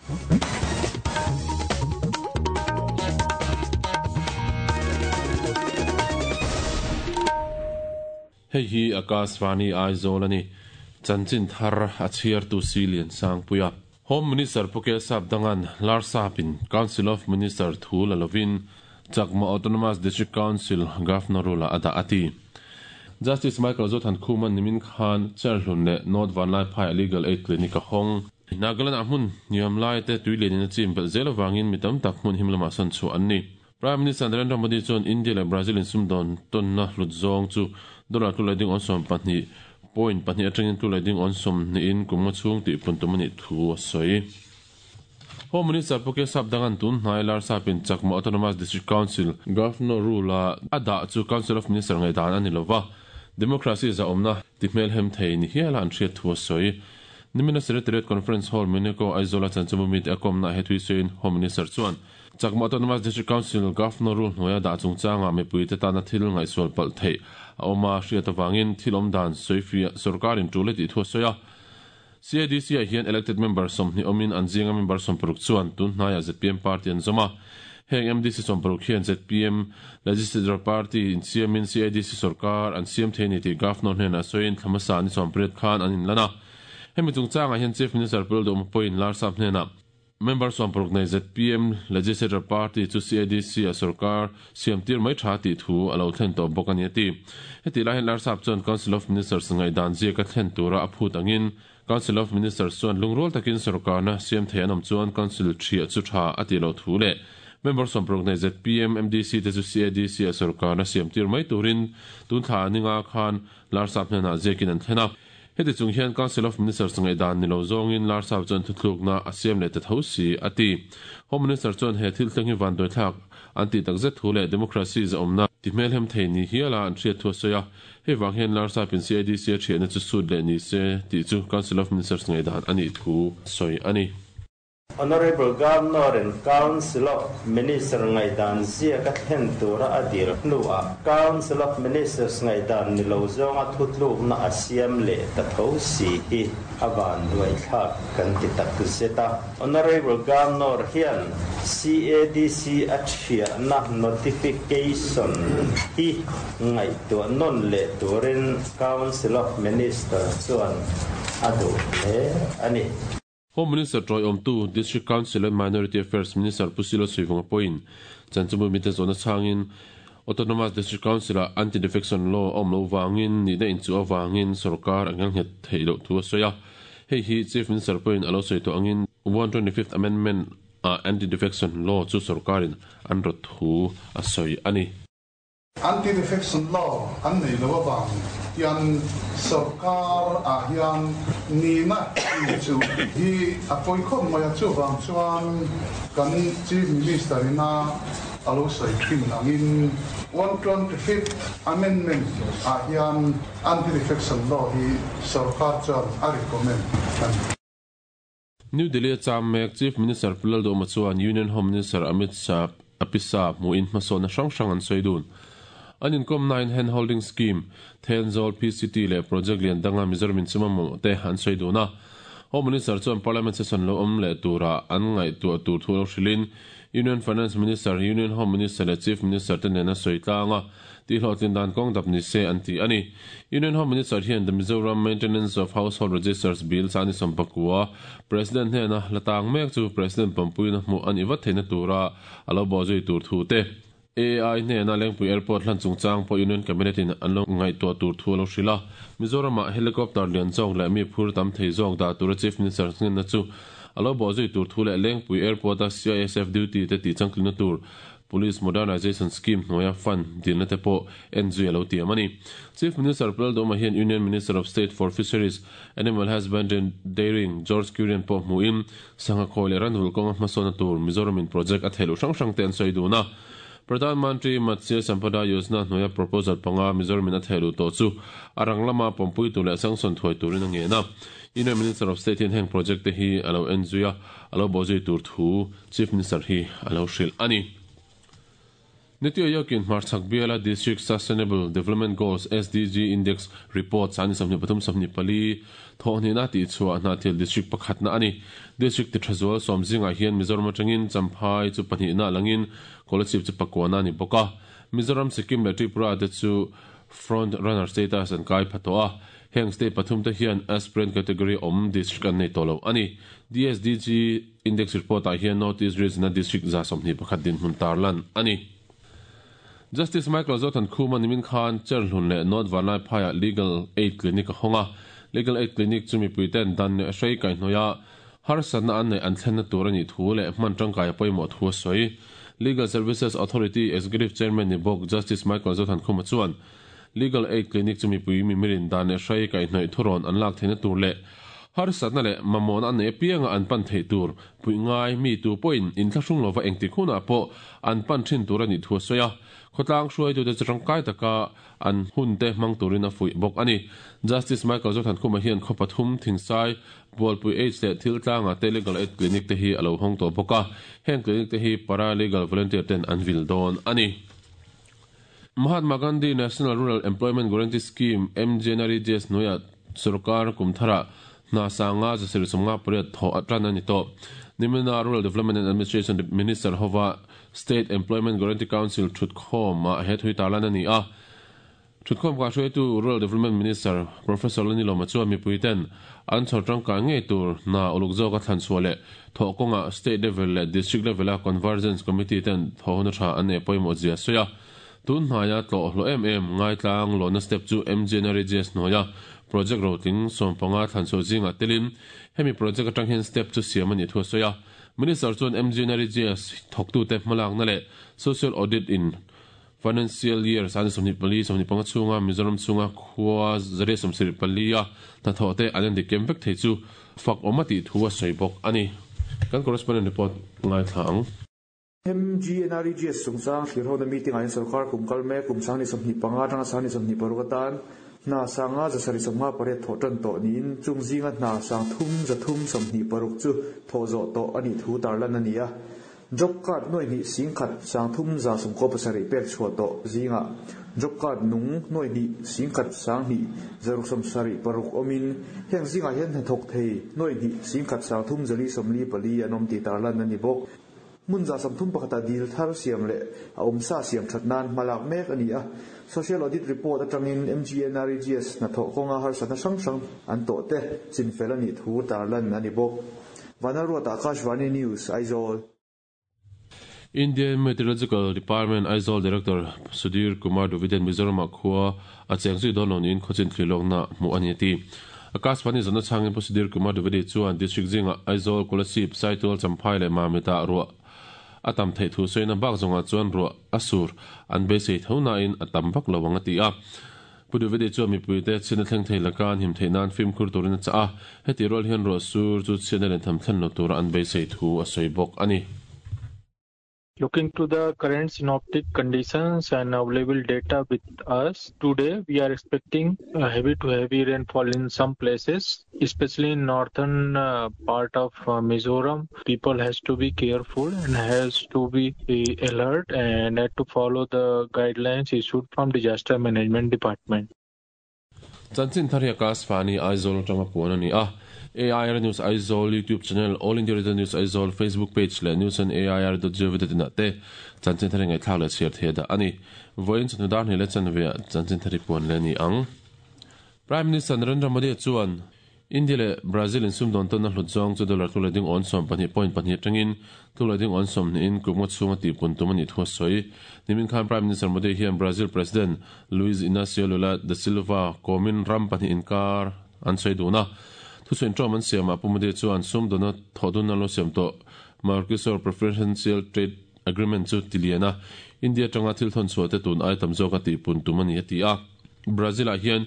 Hei hi Akashvani Aizawl a ni. Chanchin thar a chhiartu si Liansangpuia. Home Minister Pu Kelsap Dangan Larsapin Council of Minister thu la lovin Chakma Autonomous District Council Governor rule ah a dah a ti. Justice Michael Zothan Khuman nimin khan Cherhlun leh North Vanlaiphai a Legal Aid Clinic a hawng. Nagaland ah hmun hniam lai te tui lianin a chim belh zel avangin mi tam tak hmun him lamah sawn chhuah an ni. Prime Minister Narendra Modi chuan India leh Brazil insumdawn tawnna hlut zawng chu dollar tlu leh ding awn 12 point pahnih atangin tlu leh ding awn sawmhnihin kum nga chhung tih pun tum a nih thu a sawi. Home Minister Pu Kesap Dangan tun hnai Larsapin Chakma Autonomous District Council Governor rule-a a dah chu Council of Minister ngaihdan a ni lova, democracy zahawmna ti hmelhem thei ni hiala an hriat thu a sawi. Nimina Secretariat Conference Hall, Muneko, Aizawl-a chanchimbu mite a kawmna ah he thui sawiin Home Minister chuan Chakma Autonomous District Council Governor rule hnuaia dah chungchangah mipuite tana thil ngaihsual palh theih a awm a hriat avangin thil awm dan sawifiah sorkarin tul a tih thu a sawi a. CADC-ah hian elected member 20 awmin an zinga member 60 chuan tun hnaiah zpm party an zawm a. Heng MDC 60 hian zpm Legislature Party insiamin CADC sorkar an siam thei a ni tih Governor hnenah sawiin thla hmasa ni 18 khan an inlan a. Hemi chungchangah hian Chief Minister Pu Lalduhma pawhin Larsap hnenah Member 60 nei zpm Legislature Party chu CADC-a sorkar siam tir mai tha tih thu a lo thlen tawh bawk a ni a ti. Hetih lai hian Larsap chuan Council of Ministers ngaihdan ziaka thlen tura a phut angin Council of Ministers chuan lungrual takin sorkarna siam thei an awm chuan Council thiah chu tha a tih loh thu leh Member 60 nei zpm MDC te chu CADC-a sorkarna siam tir mai turin tun thla ninga khan Larsap hnenah ziakin an thlen a. Heti chung hian Council of Ministers ngaihdan ni lo zawngin Larsap chuan thuthlukna a siam leh ta tho si, a ti. Home Minister chuan he thil thleng hi vanduaithlak an tih takzet thu leh democracy zahawmna ti hmelhem thei ni hiala an hriat thu a sawi a. Hei vang hian Larsapin CADC a thiahna chu sut leh ni se tih chu Council of Ministers ngaihdan a nih thu a sawi a ni. Honourable Governor in Council of Minister ngaihdan ziaka thlen tura a dil hnuah Council of Ministers ngaihdan ni lo zawnga thutlukna a siam leh ta tho si hi a vanduaithlak kan ti tak zet a. Honourable Governor hian CADC a thiahna notification hi ngaihtuah nawn leh turin Council of Minister chuan a duh hle a ni. Home Minister tawiawmtu, District Council and Minority Affairs Minister Pu Silo Suivunga pawhin chanchimbu mite zawhna chhangin Autonomous District Council-ah Anti-Defection Law a awm loh vangin nihna inchuh avangin sorkar a ngelnghet theih loh thu a sawi a. Hei hi Chief Minister pawhin a lo sawi tawh angin 125th Amendment ah Anti-Defection Law chu sorkarin an rawt thu a sawi a ni. Anti-defection law an nei lo avang hian sorkar ah hian nihna chu hi a pawi khawp mai a, chuvang chuan kan Chief Minister ina a lo sawi thin angin 125th Amendment ah hian Anti-defection law hi sorkar chuan a recommend a ni. New Delhi a cham mek Chief Minister Pu Lalduhma chuan Union Home Minister Amit Shah a pisa hmuhin hmasawnna hrang hrang an sawi dun. An inkawmnain Hand Holding Scheme, Thenzawl PCT leh project lian danga Mizoram inchhung mamawh te an sawi dun a. Home Minister chuan Parliament session lo awm leh tura an ngaihtuah tur thu lo hrilhin Union Finance Minister, Union Home Minister leh Chief Minister te nena sawi tlang a. Tihhlawhtlin dan kawng dap ni se an ti a ni. Union Home Minister hian The Mizoram Maintenance of Household Registers Bill chani sawmpakua President hnena la tang mek chu President pawmpuina hmuh a nih vat theihna tura a lo bawhzui tur thu te, AI hnena Lengpui Airport hlan chungchang pawh Union Cabinet in an lo ngaihtuah tur thu a lo hrilh a. Mizoramah Helicopter lian zawk leh mi phur tam thei zawk dah tura Chief Minister hnenna chu a lo bawhzui tur thu leh Lengpui Airport-a CISF duty te tihchangtlinna tur Police Modernisation Scheme hnuaia fund dilna te pawh en zui a lo tiam a ni. Chief Minister Pu Lalduhma hian Union Minister of State for Fisheries, Animal Husbandry and Dairying George Kurian pawh hmuhin sangha khawi leh ranvulh kawnga hmasawnna tur Mizoramin project a theih loh hrang hrang te an sawi dun a. Pradhan Mantri Matsya Sampada Yojana hnuaia proposal panga Mizoramin a theih luh tawh chu a rang lama pawmpui tur leh sanction thuai turin a ngen a. Union Minister of State hian heng project te hi a lo en zui a, a lo bawhzui tur thu Chief Minister hi a lo hrilh a ni. Niti Aayog-in hmarchhak biala District Sustainable Development Goals, SDG, Index report sani 23 24 thawhhnihna tihchhuah Hnahthial District pakhatna a ni. District ti tha zual sawm zingah hian Mizoram atangin Champhai chu pahnihna langin Kolasib chu pakuana a ni bawk a. Mizoram, Sikkim leh Tripura te chu Front Runner status an kai pha tawh a. Heng state pathum te hian Aspirant category awm district an nei tawh lo a ni. DSDG Index report ah hian North East Region a district 21 dinhmun tarlan a ni. Justice Michael Zothan Khuma nimin khan Cherhlun leh North Vanlaiphaiah Legal Aid Clinic a hawng a. Legal Aid Clinic chu mipuiten dan leh hrei kaihhnawih a harsatna an neih an thlenna tur a nih thu leh hman tangkai a pawimawh thu a sawi. Legal Services Authority Executive Chairman ni bawk Justice Michael Zothan Khuma chuan Legal Aid Clinic chu mipui mimirin dan leh hrei kaihhnawih thurawn an lak theihna tur leh harsatna leh mamawhna an neih apianga an pan theih tur puih ngai mi tu pawhin inthlahrung lova engtik hunah pawh an pan thin tur a nih thu a sawi a. Khawtlang hruaitute chu tangkai taka an hunte hmang turin a fuih bawk a ni. Justice Michael Zothankhuma hian khaw pathum, Thingsai, Bualpui Aids leh Thiltlanga te Legal Aid Clinic te hi a lo hawng tawh bawk a. Heng clinic te hi para legal volunteer ten an vil dawn a ni. Mahatma Gandhi National Rural Employment Guarantee Scheme, MGNREGS, hnuaiah sorkar kum tharah hna sanga 758 thawh a tan a ni tawh. Nimina Rural Development and Administration Minister hova State Employment Guarantee Council thutkhawmah he thui tarlan a ni a. Thutkhawm kahhruaitu Rural Development Minister Professor Lanilawma chuan mipuiten an chhawr tangkai ngei tur hna uluk zawka thlan chhuah leh thawh kawngah State level leh District level-a Convergence Committee ten thawhhona tha an neih pawimawh zia a sawi a. Tun hnaia tlawh hlawh em em ngaitlang lawhna step chu MGNREGS hnuaia project rotling 15 thlan chhuah zingah telin hemi project atang hian step chu siam a nih thu a sawi a. Minister chuan MGNREGS thawktute hmalakna leh Social Audit in Financial Year 24 25 chhunga Mizoram chhunga khua 174 a hnathawh te an endik kem vek thei chu fak awm a tih thu a sawi bawk a ni. Kan correspondent report ngaithla ang. MGNREGS chungchang thlirhona meeting ah hian sorkar kum kal mek kum 2025 atanga 2026 atan hna sanga 758 thawh tan tawh niin chung zinga hna sang thum 326 chu thawh zawh tawh a nih thu tarlan a ni a. Job card nuai hnih singkhat sang 397 pek chhuah tawh zingah job card nung nuai hnih singkhat sang hnih 676 awmin heng zingah hian hnathawk thei nuai hnih singkhat sang 354 an awm tih tarlan a ni bawk. Hmun 31 ah dil thar siam leh a awmsa siam that nan hmalak mek a ni a. Social Audit Report atangin MGNREGS hnathawh kawnga harsatna hrang hrang an tawh te chinfel a nih thu tarlan a ni bawk. Vanlalruata Akashvani News, Aizawl. Indian Meteorological Department Aizawl Director Sudhir Kumar Dwivedi Mizoram-ah khua a cheng zui dawn lo niin khawchin thlirlawkna hmuh a ni a ti. Akashvani zawhna chhangin Pu Sudhir Kumar Dwivedi chuan District zingah Aizawl, Kolasib, Saitual, Champhai leh Mamit-ah ruah a tam theih thu sawiin a bak zawngah chuan ruah a sur an beisei tho nain a tam vak lo ang a ti a. Pu Dwivedi chuan mipuite chhiatna thleng thei laka an him theih nan fimkhur turin a chah a, heti rual hian ruah sur chu chhiatna lentham thlen lo tura an beisei thu a sawi bawk a ni. Looking to the current synoptic conditions and available data with us, today we are expecting a heavy to heavy rainfall in some places, especially in northern part of Mizoram. People has to be careful and has to be alert and had to follow the guidelines issued from Disaster Management Department. Chanchin thar hi Akashvani Aizawl atanga puan a ni a. AIR News Aizawl YouTube channel, All India Radio News Aizawl Facebook page leh news on air dot gov dot in ah te chanchin thar hi ngaihthlak leh chhiar theih dah a ni. Vawiin chawhnu dar hnih leh chanve ah chanchin thar hi puan leh a ni ang. Prime Minister Narendra Modi chuan India leh Brazil in sumdawn tawnna hlut zawng chu dollar tlu leh ding awn 12 point pahnih atangin tlu leh ding awn 20 in kum nga chhunga tihpun tum a nih thu a sawi. Nimin khan Prime Minister Modi hian Brazil President Luiz Inacio Lula da Silva kawmin ram pahnih inkar an sawi dun a. Thusawi inṭawm an siamah Pu Modi chuan sumdawnna thawhdunna lo siam tawh Mercosur Preferential Trade Agreement chu ti lian a, India atanga thil thawn chhuah te tun ai tam zawka tihpun tum a ni a ti a. Brazil-ah hian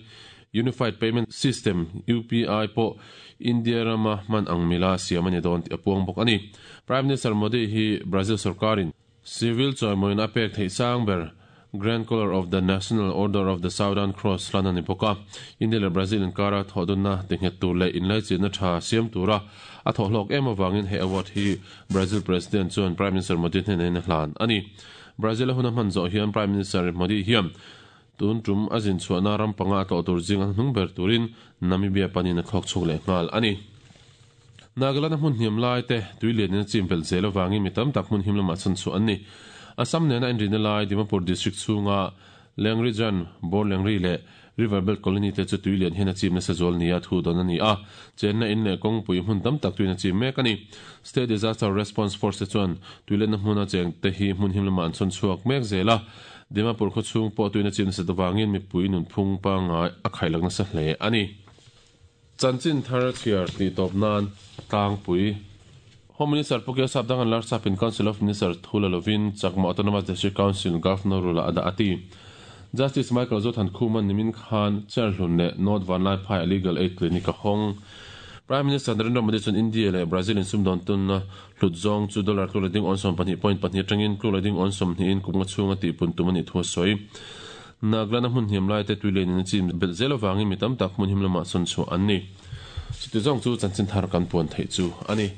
Unified Payment System, UPI, pawh India rama hman ang mila siam a ni dawn tih a puang bawk a ni. Prime Minister Modi hi Brazil sorkarin civil chawimawiin a pek theih sang ber Grand Collar of the National Order of the Southern Cross hlan a ni bawk a. India leh Brazil inkara thawhdunna tinghet tur leh inlaichinna tha siam tura a thawhhlawk em avangin he award hi Brazil President chuan Prime Minister Modi hnenah in a hlan a ni. Brazil a hun a hman zawh hian Prime Minister Modi hian tun tum a zin chhuahna ram panga a tlawh tur zing a hnung ber turin Namibia panin a thlawk chhuak leh nghal a ni. Nagaland-a hmun hniam lai te tui lianin a chim belh zel avangin mi tam tak hmun him lamah chhan chhuah an ni. Assam nena inrina lai Dimapur District chhunga Lengrijan, Borlengri leh River Belt Colony te chu tui lian hian a chim nasa zual nia thu dawn a ni a, chenna in leh kawngpui hmun tam tak tuin a chim mek a ni. State Disaster Response Force te chuan tuilenna hmuna cheng te hi hmun him lamah an chhawn chhuak mek zel a, Dimapur khawchhung pawh tuin a chim nasat avangin mipui nunphung pangngai a khailak nasa hle a ni. Chanchin thar chhiar tih tawp nan tlangpui. Home Minister Pu Keo Sapdangan Larsapin Council of Minister thu la lovin Chakma Autonomous District Council Governor rule-ah a dah a ti. Justice Michael Zothan Khuman nimin khan Cherhlun leh North Vanlaiphai a Legal Aid Clinic a hawng. Prime Minister Narendra Modi chuan India leh Brazil in sumdawn tunna hlut zawng chu dollar tluk leh ding awn 12 point pahnih atangin tluk leh ding awn 20 in kum nga chhunga tihpun tum a nih thu a sawi. Naglana hmun hniam lai te tui lianin a chim belh zel avangin mi tam tak hmun him lamah sawn chhuah an ni. Chuti zawng chu chanchin thar kan puan theih chu a ni.